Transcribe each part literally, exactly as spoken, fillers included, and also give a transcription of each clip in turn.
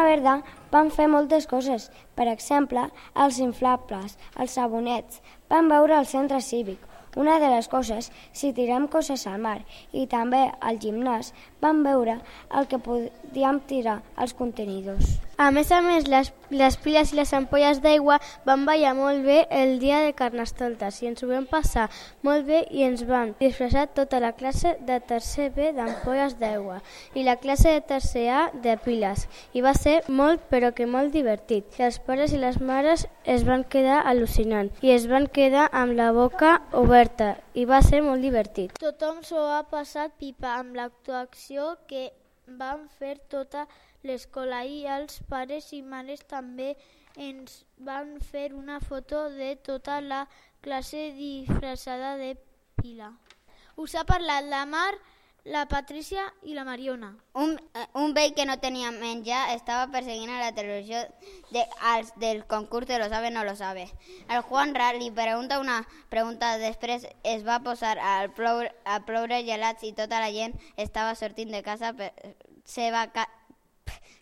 Verda van fer moltes coses, per exemple, els inflables, els sabonets, van veure el centre cívic, una de les coses, si tirem coses al mar, i també al gimnàs, van veure el que podíem tirar als contenidors. A més a més, les, les piles i les ampolles d'aigua van ballar molt bé el dia de Carnestoltes i ens ho vam passar molt bé i ens vam disfressar tota la classe de tercer B d'ampolles d'aigua i la classe de tercer A de piles i va ser molt però que molt divertit. I els pares i les mares es van quedar al·lucinant i es van quedar amb la boca oberta i va ser molt divertit. Tothom s'ho ha passat pipa amb l'actuació que van fer tota l'escola i els pares i mares també ens van fer una foto de tota la classe disfressada de pila. Us ha parlat la Mar, la Patrícia i la Mariona. Un, un vell que no tenia menjar estava perseguint a la televisió de, als, del concurs de Lo sabe no lo sabe. El Juanra li pregunta una pregunta, després es va posar a ploure, a ploure gelats i tota la gent estava sortint de casa per seva ca,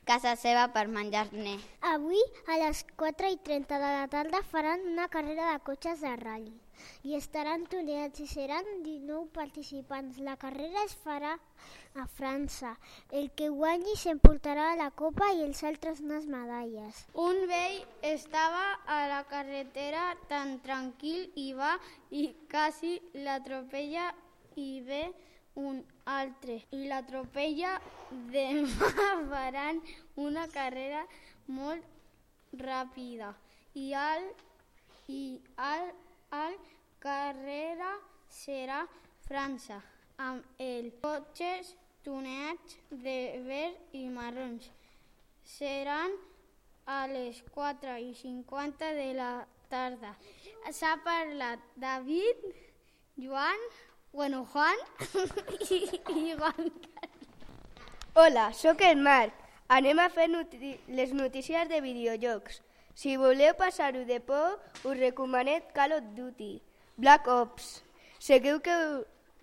casa seva per menjar-ne. Avui a les quatre i trenta de la tarda faran una carrera de cotxes de ral·li i estaran tuneats i seran dinou participants. La carrera es farà a França. El que guanyi s'emportarà la copa i els altres unes medalles. Un vell estava a la carretera tan tranquil i va i quasi l'atropella i ve un altre i l'atropella. Demà faran una carrera molt ràpida i al, i al, al carrera serà França amb els cotxes tuneats de verd i marrons. Seran a les quatre i cinquanta de la tarda. S'ha parlat David, Joan, bueno, Juan i, i Juan Carlos. Hola, sóc el Marc. Anem a fer noti les notícies de videojocs. Si voleu passar-ho de por, us recomanem Call of Duty, Black Ops. Segur que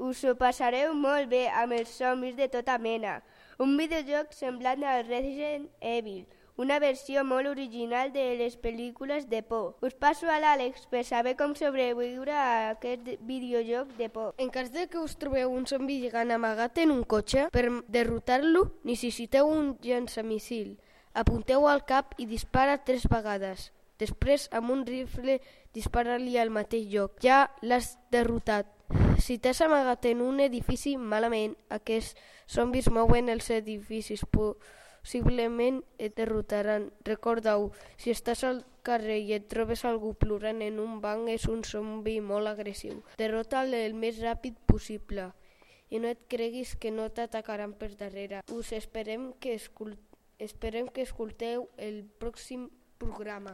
us ho passareu molt bé amb els zombis de tota mena. Un videojoc semblant al Resident Evil, una versió molt original de les pel·lícules de por. Us passo a l'Àlex per saber com sobreviure a aquest videojoc de por. En cas de que us trobeu un zombi gegant amagat en un cotxe, per derrotar-lo necessiteu un llançamissil. Apunteu al cap i dispara tres vegades. Després, amb un rifle, dispara-li al mateix lloc. Ja l'has derrotat. Si t'has amagat en un edifici, malament, aquests zombis mouen els edificis. Possiblement et derrotaran. Recorda-ho, si estàs al carrer i et trobes algú plorant en un banc, és un zombi molt agressiu. Derrota'l el més ràpid possible i no et creguis que no t'atacaran per darrere. Us esperem que, escol... esperem que escolteu el pròxim programa.